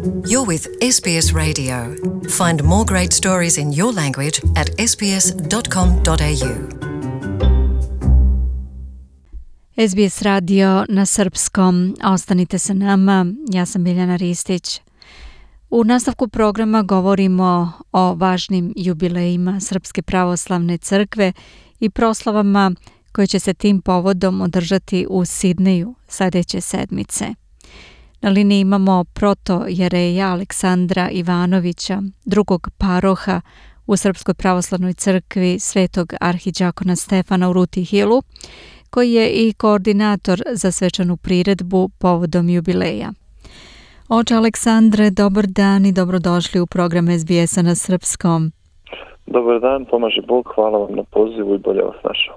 You're with SBS Radio. Find more great stories in your language at sbs.com.au. SBS radio na srpskom. Ostanite sa nama. Ja sam Biljana Ristić. U nastavku programa govorimo o važnim jubilejima Srpske pravoslavne crkve i proslavama koje će se tim povodom održati u Sidneju sljedeće sedmice. Na liniji imamo protojereja Aleksandra Ivanovića, drugog paroha u Srpskoj pravoslavnoj crkvi Svetog arhidžakona Stefana u Ruti Hilu, koji je i koordinator za svečanu priredbu povodom jubileja. Oče Aleksandre, dobar dan i dobrodošli u program SBS-a na srpskom. Dobar dan, pomaže Bog, hvala vam na pozivu i bolje vas našao.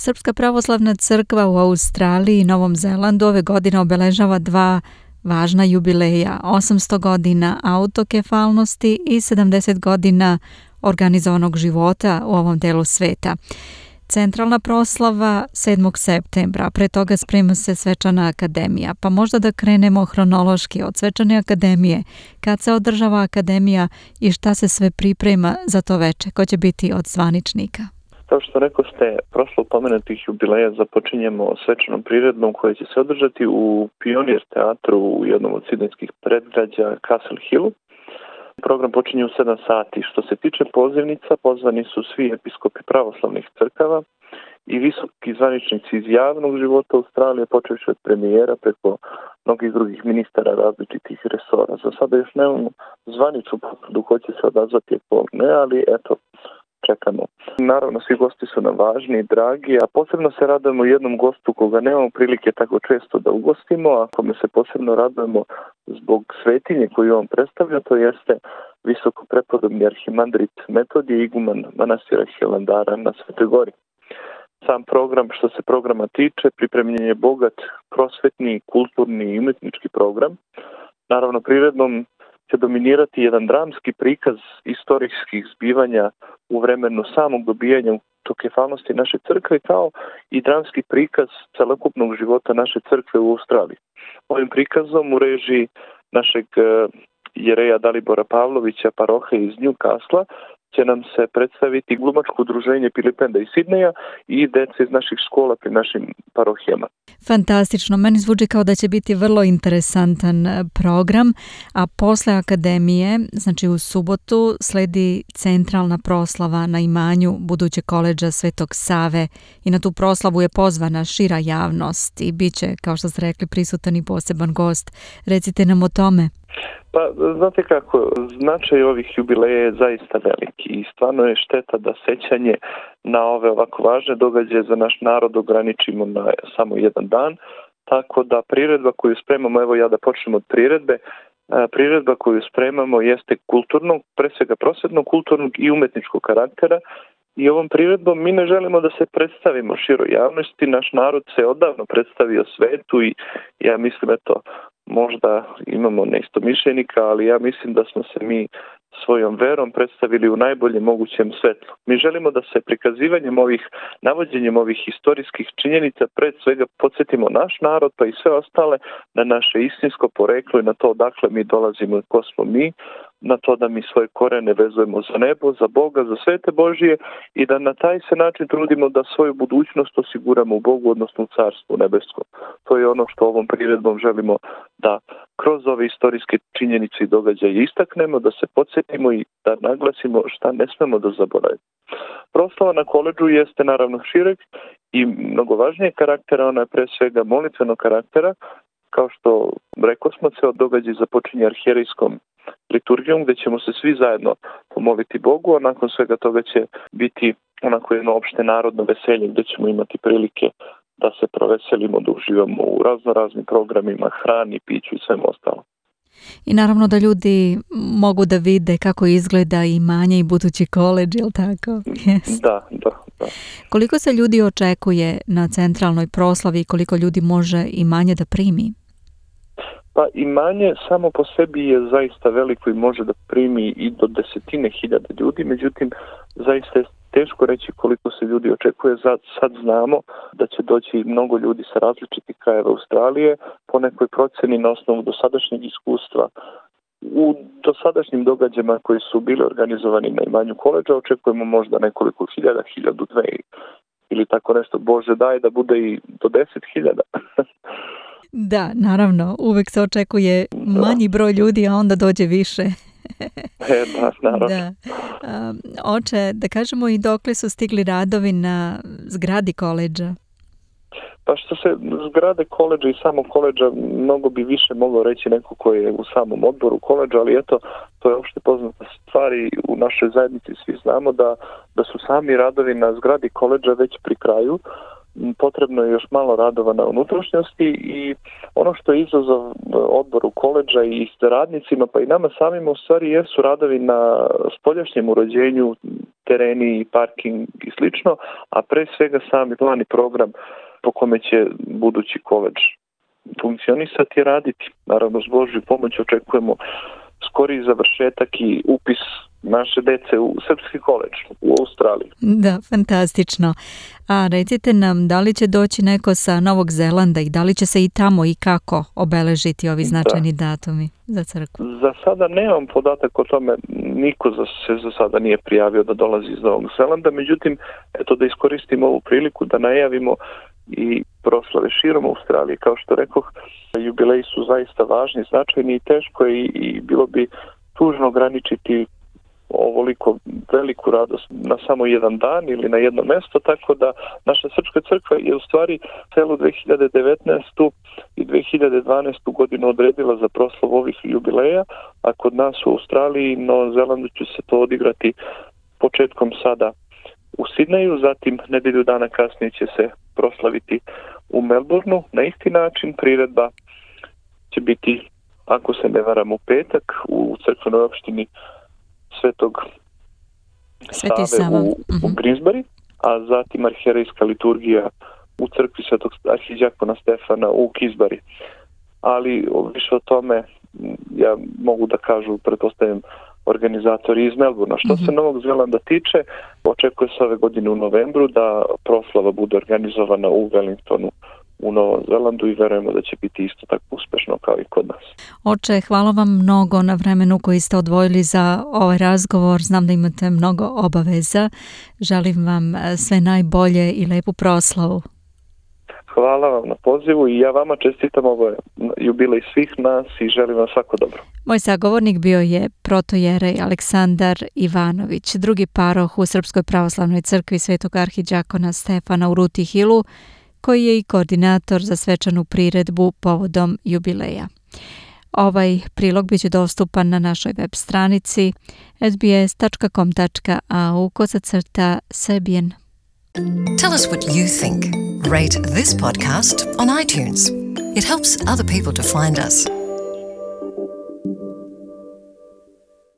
Srpska pravoslavna crkva u Australiji i Novom Zelandu ove godine obeležava dva važna jubileja, 800 godina autokefalnosti i 70 godina organizovanog života u ovom delu sveta. Centralna proslava 7. septembra, pre toga sprema se svečana akademija, pa možda da krenemo hronološki od svečane akademije, kad se održava akademija i šta se sve priprema za to veče, ko će biti od zvaničnika. Kao što rekao ste, prošlo pomenutih jubileja započinjemo svečanom priredbom koja će se održati u Pionir teatru u jednom od sidnejskih predgrađa Castle Hillu. Program počinje u 7 sati. Što se tiče pozivnica, pozvani su svi episkopi pravoslavnih crkava i visoki zvaničnici iz javnog života Australije, počevši od premijera preko mnogih drugih ministara različitih resora. Za sada još nemamo zvaničnu potvrdu ko će se odazvati, ne, ali eto, čekamo. Naravno, svi gosti su nam važni i dragi, a posebno se radujemo jednom gostu koga nemamo prilike tako često da ugostimo, a kome se posebno radujemo zbog svetinje koju on predstavlja, to jeste visoko prepodobni arhimandrit Metodije, iguman manastira Hilandara na Svetoj Gori. Sam program, što se programa tiče, pripremljen je bogat prosvetni, kulturni i umetnički program. Naravno, priredbom će dominirati jedan dramski prikaz istorijskih zbivanja u vremenu samog dobijanja autokefalnosti naše crkve, kao i dramski prikaz celokupnog života naše crkve u Australiji. Ovim prikazom u režiji našeg jereja Dalibora Pavlovića, parohe iz Newcastle, će nam se predstaviti glumačko udruženje Pilipenda iz Sidneja i deca iz naših škola pri našim parohijama. Fantastično, meni zvuči kao da će biti vrlo interesantan program, a posle akademije, znači u subotu, sledi centralna proslava na imanju budućeg koledža Svetog Save i na tu proslavu je pozvana šira javnost i bit će, kao što ste rekli, prisutan i poseban gost. Recite nam o tome. Pa, znate kako, značaj ovih jubileja je zaista veliki i stvarno je šteta da sećanje na ove ovako važne događaje za naš narod ograničimo na samo jedan dan, tako da priredba koju spremamo, evo ja da počnem od priredbe, priredba koju spremamo jeste kulturnog, pre svega prosvetnog, kulturnog i umetničkog karaktera. I ovom priredbom mi ne želimo da se predstavimo široj javnosti, naš narod se odavno predstavio svetu i ja mislim, eto, možda imamo neistomišljenika, ali ja mislim da smo se mi svojom verom predstavili u najboljem mogućem svetlu. Mi želimo da se prikazivanjem navođenjem ovih historijskih činjenica pred svega podsjetimo naš narod pa i sve ostale na naše istinsko poreklo i na to odakle mi dolazimo i ko smo mi, na to da mi svoje korene vezujemo za nebo, za Boga, za svete Božije i da na taj se način trudimo da svoju budućnost osiguramo u Bogu, odnosno u Carstvu nebeskom. To je ono što ovom priredbom želimo da kroz ove istorijske činjenice i događaje istaknemo, da se podsjetimo i da naglasimo šta ne smemo da zaboravimo. Proslava na koledžu jeste naravno šireg i mnogo važnijeg karaktera, ona je pre svega molitvenog karaktera, kao što rekao smo, ceo događaj započinje arhijerejskom liturgijom gdje ćemo se svi zajedno pomoliti Bogu, a nakon svega toga će biti onako jedno opšte narodno veselje gdje ćemo imati prilike da se proveselimo, da uživamo u raznoraznim programima, hrani, piću i svemu ostalo. I naravno da ljudi mogu da vide kako izgleda imanje i budući koledž, je li tako? Yes. Da. Koliko se ljudi očekuje na centralnoj proslavi i koliko ljudi može imanje da primi? Pa imanje samo po sebi je zaista veliko i može da primi i do 10.000 ljudi, međutim zaista je teško reći koliko se ljudi očekuje. Sad znamo da će doći mnogo ljudi sa različitih krajeva Australije, po nekoj proceni na osnovu dosadašnjeg iskustva U dosadašnjim događajima koji su bili organizovani na imanju koledža očekujemo možda nekoliko hiljada, 1000, 2 ili tako nešto. Bože daj da bude i do 10.000. Da, naravno, uvek se očekuje manji broj ljudi, a onda dođe više. Da, naravno. Da. Oče, da kažemo i dokle su stigli radovi na zgradi koledža? Pa što se zgrade koledža i samog koledža, mnogo bi više mogao reći neko ko je u samom odboru koledža, ali eto, to je opšte poznata stvar i u našoj zajednici svi znamo da su sami radovi na zgradi koledža već pri kraju. Potrebno je još malo radova na unutrašnjosti i ono što je izazov odboru koledža i radnicima, pa i nama samima u stvari jesu radovi na spoljašnjem uređenju, tereni, parking i slično, a pre svega sami plan i program po kome će budući koledž funkcionisati i raditi. Naravno, s Božjom pomoć očekujemo skori završetak i upis naše dece u srpski koledž u Australiji. Da, fantastično. A recite nam, da li će doći neko sa Novog Zelanda i da li će se i tamo i kako obeležiti ovi značajni datumi za crkvu? Za sada nemam podatak o tome, niko se za sada nije prijavio da dolazi iz Novog Zelanda, međutim, eto da iskoristimo ovu priliku da najavimo i proslave širom Australije. Kao što rekoh, jubileji su zaista važni, značajni i teško i bilo bi tužno ograničiti ovoliko veliku radost na samo jedan dan ili na jedno mesto, tako da naša srpska crkva je u stvari celu 2019. i 2012. godinu odredila za proslavu ovih jubileja, a kod nas u Australiji i Novom Zelandu će se to odigrati početkom sada u Sidneju, zatim nedelju dana kasnije će se proslaviti u Melbourneu. Na isti način priredba će biti, ako se ne varam, u petak u crkvenoj opštini Svetog Save u Greensbury, a zatim arhijerejska liturgija u crkvi Svetog arhiđakona Stefana u Kisbury. Ali više o tome ja mogu da kažu, pretpostavljam, organizatori iz Melbournea. Što se Novog Zelanda tiče, očekuje se ove godine u novembru da proslava bude organizovana u Wellingtonu u Novom Zelandu i verujemo da će biti isto tako uspešno kao i kod nas. Oče, hvala vam mnogo na vremenu koji ste odvojili za ovaj razgovor. Znam da imate mnogo obaveza. Želim vam sve najbolje i lepu proslavu. Hvala vam na pozivu i ja vama čestitam ovo jubilej svih nas i želim vam svako dobro. Moj sagovornik bio je protojerej Aleksandar Ivanović, drugi paroh u Srpskoj pravoslavnoj crkvi Svetog arhiđakona Stefana u Ruti Hillu, koji je i koordinator za svečanu priredbu povodom jubileja. Ovaj prilog biće dostupan na našoj web stranici sbs.com.au/Serbian. Tell us what you think. Rate this podcast on iTunes. It helps other people to find us.